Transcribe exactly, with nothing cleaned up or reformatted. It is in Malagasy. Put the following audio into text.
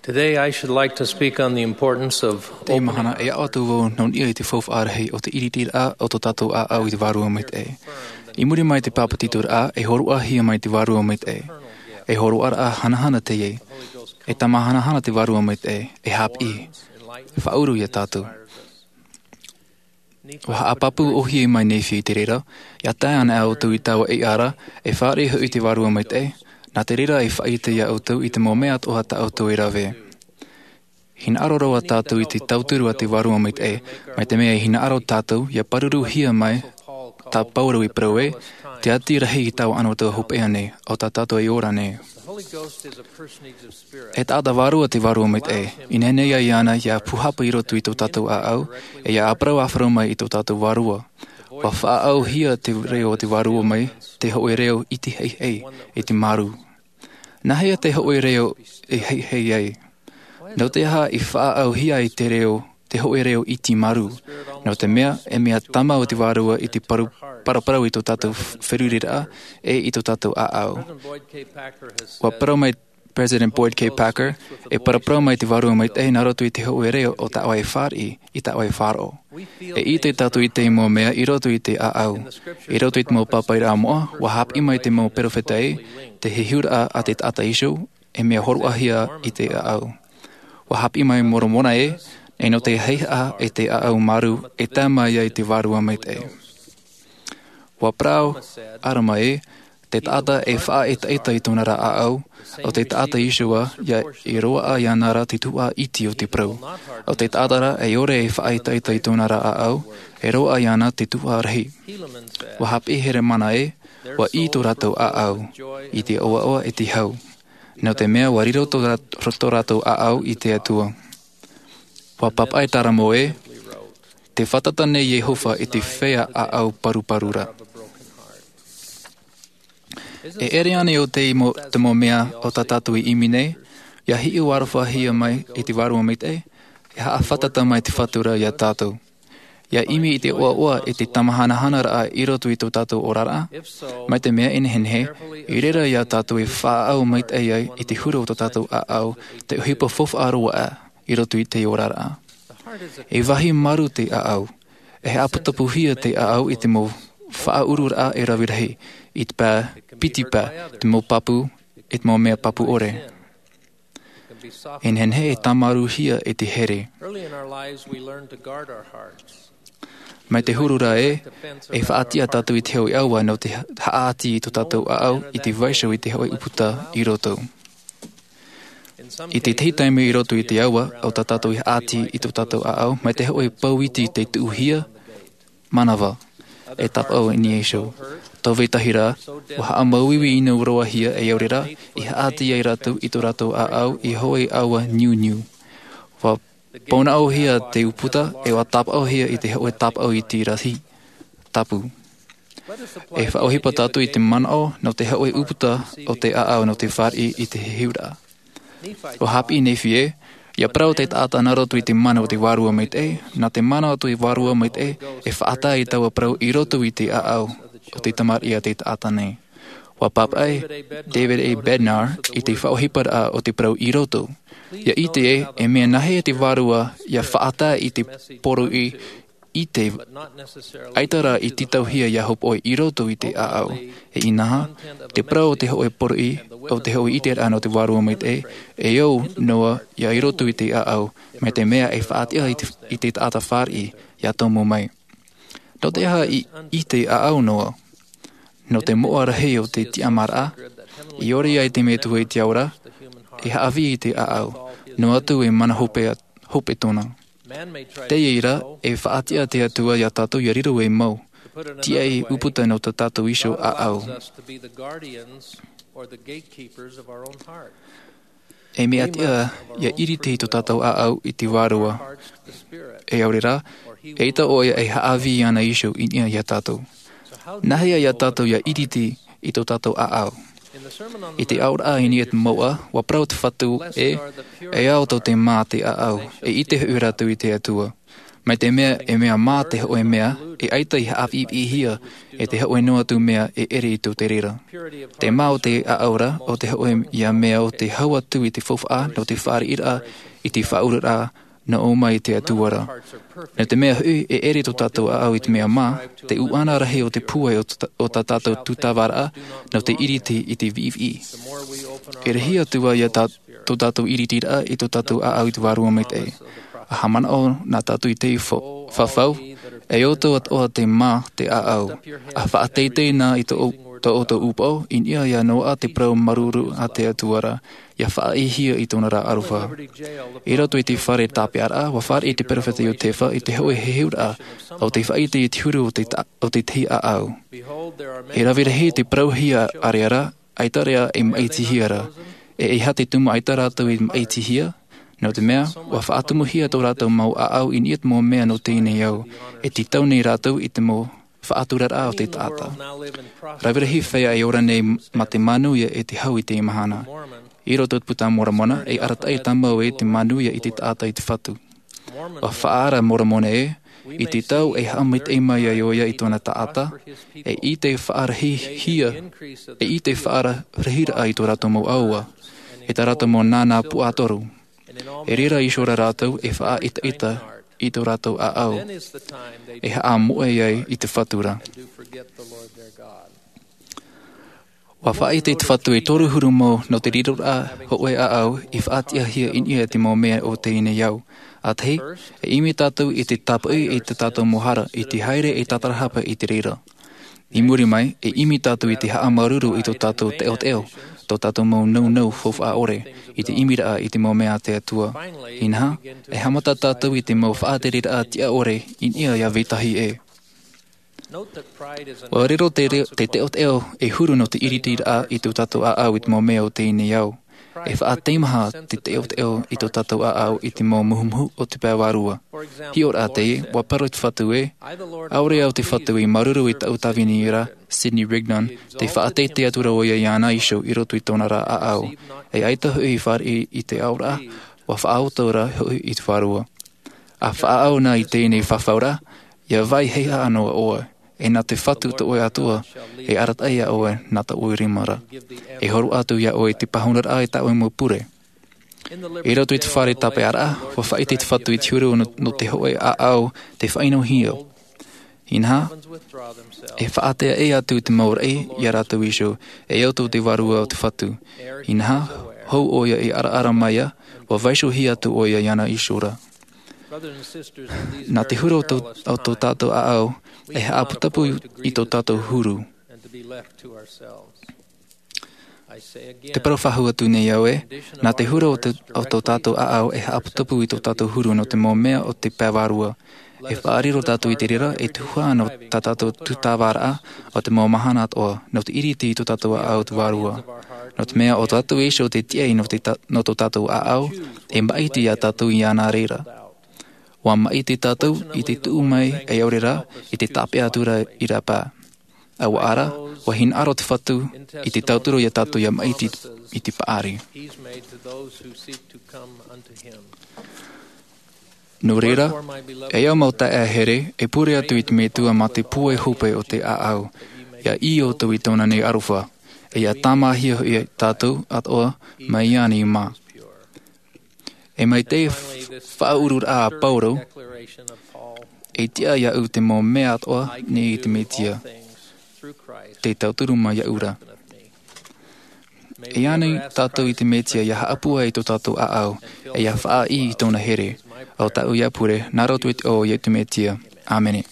Today I should like to speak on the importance of Te mahana e atu wau non ia i te whauwha arahi o te iritira a o tō tātou a au i te warua mai te e. I muri mai te pāpatitura a e horu a hia mai te warua mai te e. E horu ara a hanahana te e. E tama hanahana te warua mai te e. E hap i. E whauru ia tātou. Wa haapapu o hie mai nei te rera, ia tae ana au tau i taua e ara, e whare hui i te warua mai te e, nā te rera e whaite ia au tau i te mō mea toha ta au tau e rawe. Hina aro rawa tātou i te tauturu a te warua mai te e, mai te mea i hina aro tātou, ia paruru hia mai, tā pauru i parau e, te ati rahi i tau anō tau hopea nei, o tā tātou i ora nei. E tāta warua te warua mai te e, i nene ia iana ia puhapa i roto i tō tātou a au, e ia aprau awharau mai i tō tātou warua. Wa whaau hia te reo o te warua mai, te hoe reo i te hei hei, e te maru. Nahea te hoe reo e hei hei ai. No te aha i whaau hia i te reo, te hoe reo i te maru. No te mea, e mea tama o te warua i te paru, paraparau i tō tātou wherurira e i tō tātou a au. Wa parau mai President Boyd K. Packer, e paraparau mai te warua mai te nā roto i te hoe reo o tā oe whāri, i tā oe whāro. E i te tātou i te mō mea i roto i te a au. I roto i te mō papai rā moa, wa hap i mai te mō perowheta e, te hihura a te tata iso, e mea horuahia i te a au. Wa hap i mai moromona e, e no te heiha e te a au maru, e tā mai ai te warua mai te e. Wa prau, arama e, te tata e wha e taita i tōna rā a au, o te tata isua ia i roa a ia nara te tua iti o te prau. O te tata e ore e wha e taita i tōna rā a au, e roa ia na te tua rahi. Wa hap e here mana e, wa i tō rātou a au, i te oa oa e te hau. Nō te mea wa riro tō rātou a au i te atua. Wa pap ai taramo e, te whatata nei Yehova i te whea a au paruparura. E ere ane o te imo, te mō mea o tā tātou i imi nei, ia hiu arawha hia mai i te warua mai te, e haa whatata mai te whatura ia tātou. Ia imi i te oa oa e te tamahanahana raa i roto i tō tātou orara, mai te mea enehenhe, i rera ia tātou e whaau mai te ai i te hura o tō tātou a au, te uhipa fof aroa a i roto i te orara. E wahi maru te a au, e he apatapuhia te a au i te mō whaauru raa e rawirahi, i te pā piti pā, te mō papu, e te mō mea papu ore. Enhenhe e tamaruhia e te here. Mai te hurura e, e whaatia tātou i te hoi aua no te haati i tō tātou a au i te vaisau i te hoi uputa i roto. I te teitaimi i roto i te aua o tā tātou i haati i tō tātou a au, mai te hoi pauiti te tuuhia manawa e tapau i ni eisho. Tau vetahi rā, wa haa mauiwi ina uroahia e aurera, i haati ai rātou i tō rātou a au i hoi aua niu niu. Wa pauna auhia te uputa e wa tapauhia i te hoi tapau i te rahi tapu. E whaohipa tātou i te manao no te hoi uputa o te a au no te whāri i te hiura. O hapi nei whie, ia parau te tāta nā roto i te mana o te warua mai te e, nā te mana o te warua mai te e, e whaata i taua parau i roto i te a au o te tamari a te tāta nei. Wa pap ai, David A. Bednar, i te whaohipara a o te parau i roto. Ia i te e, e mea nahe te warua, ia whaata i te poru i, i te aitara i titauhia ia hopoi i roto i te a au. E inaha, te parau o te hoe poru i, o te hoe i te rāno te warua mai te e, e au noa ia i roto i te a au, me te mea e whaatia i te, i te tāta whāri ia tomo mai. No te aha i, i te a au noa, no te moa rahi o te tiamara, i ore ai te metua i te aura, e haawi i te a au, no atu e mana hope, hope tōna. Te eira, e whaatia te atua ia tātou ia riro e mau, tia e uputa no ta tātou iso a au. E mea tia ia iri te i tō tātou a au i te wārua. E aurera, e ita oia e haawi ana iso i nia ia tātou. Nahea ia tātou ia iri te i tō tātou a au. I te aura a ini e te moa, wa prau te whatu e, e au tō te mā te a au, e i te hu rātou i te atua. Mai te mea e mea mā te hoe mea, e aita i haapi hia, e te hoe noa tu mea e ere i tō te rera. Te mā o te aaura o te hoe ia mea o te hau atu i te fofaa no te whaare ira i te whaurara na o mai te atuara. No te mea hui e ere tō tātou aau i te mea mā, te uana rahi o te pue o, o tā tātou tūtawara no te iriti i te vivi. E rehi atua ia tā, tō tātou iriti raa i tō tātou aau i te warua mai te e. A hamana o nā tātou i te whawhau, e oto at oa te mā te aau. A whaateitei nā i tō tō oto upau, in ia ia noa te prau maruru a te atuara, ia whaihia i tōna rā aruwha. I roto i te whare tāpeara, wa whare i te perewhete o te wha, i te hoe heheura, o te whaite i te huru o te, ta, o te te aau. E rawirahi te prauhia areara, aitarea e maitihia E iha te tumu aitara rātou i maitihia, no te mea, wa whaatumuhia tō rātou mau aau i niet mō mea no tēnei au, e te tau nei rātou i te mō whaaturara o te tāta. Rawirahi whea e ora nei ma te manuia e te hau i te mahana. I roto puta moramona e arata e tamau e te manuia i te tāta i te whatu. Wa whaara moramona e, i te tau e haamit e mai ai oia i tōna tāta, e i te whaarahihia, e i te whaarahira ai tō rātou mau aua, e tā rātou mō nānā puatoru. E rera i shora rātou e whaa ita ita i tō rātou a au, e haa moe ai i te whatura. Wa whaai te whatu e toru huru mō no te riro a hoe a au i whaatiahia in ia te mō mea o te ine iau. A tehi, e imi tātou i te tapui i te tātou mohara, i te haere e tatarahapa i te reira. I muri mai, e imi tātou i te haa maruru i tō tātou te teo, tō tātou mō nau nau fofā ore, i te imira i te mō mea te atua. Inha, e hamata tātou i te mō whaaterira a tia ore, in ia ia vetahi e. Wa rero te, reo, te teo teo e huru no te iritira a i tō tātou a au i te mō mea o tēnei au. E whaateimaha te teo teo i tō tātou a au i te mō muhumuhu o te pēwarua. Hi ora a te e, wa paro te whatu e, aore au te whatu i maruru i tau tawini ira, Sidney Rigdon, te whaatete atura o ia i ana isho i roto i tōna rā a au. E aita hui i whare i, i te aura, wa whaautora hui i te wharua. A whaau nā i tēnei whawhaura, ia vai heiha anō a oa. E nā te whatu te oe atua, e aratai a oe nā ta oe rimara. E horu atu ia oe te pahunara ai ta oe mō pure. I roto i te whare tape ara, wa whaite te whatu i te huru no, no te hoe a au te whaino hio. Inha, e whaatea e atu te maura e ia rātou isho, e auto te warua o te whatu. Inha, hou oia e ara ara maia, wa vaisho hi atu oia iana ishora. Nā te huru o tō, o tō tātou a au, e haaputapu i tō tātou huru. Te parowhahu atu nei au e, nā te huru o, te, o tō tātou a au e haaputapu i tō tātou huru no te mō mea o te pēwarua. E whaariro tātou i te rera e tuhua no tā tātou tūtāwara o te mō mahana atoa, no te iriti i tō tātou a au te warua. No te mea o tātou esho te tiei no, te ta, no tō tātou a au, e maiti a tātou i ana reira. Wa mai te tātou i te tuu mai e aurera i te tape atura i rā pā. Awa ara, wa hin aro te whatu i te tauturo ia tātou ia mai i i te paari. Nō reira, e au mau ta e here e pure atu i te metua mā te pue hope o te aau, ia i o tau i tōna nei aruwha, e ia tāmahia ia tātou atoa mai iani mā. E mai te whaurur a Pauro, e tia ia u te mō mea atoa ni i te metia, te tauturu mai ia ura. E anei tātou i te metia ia haapua i tō tātou a au, e ia whaai i tōna here, au tāu ia pure, nā roto i te o ia te metia. Amene.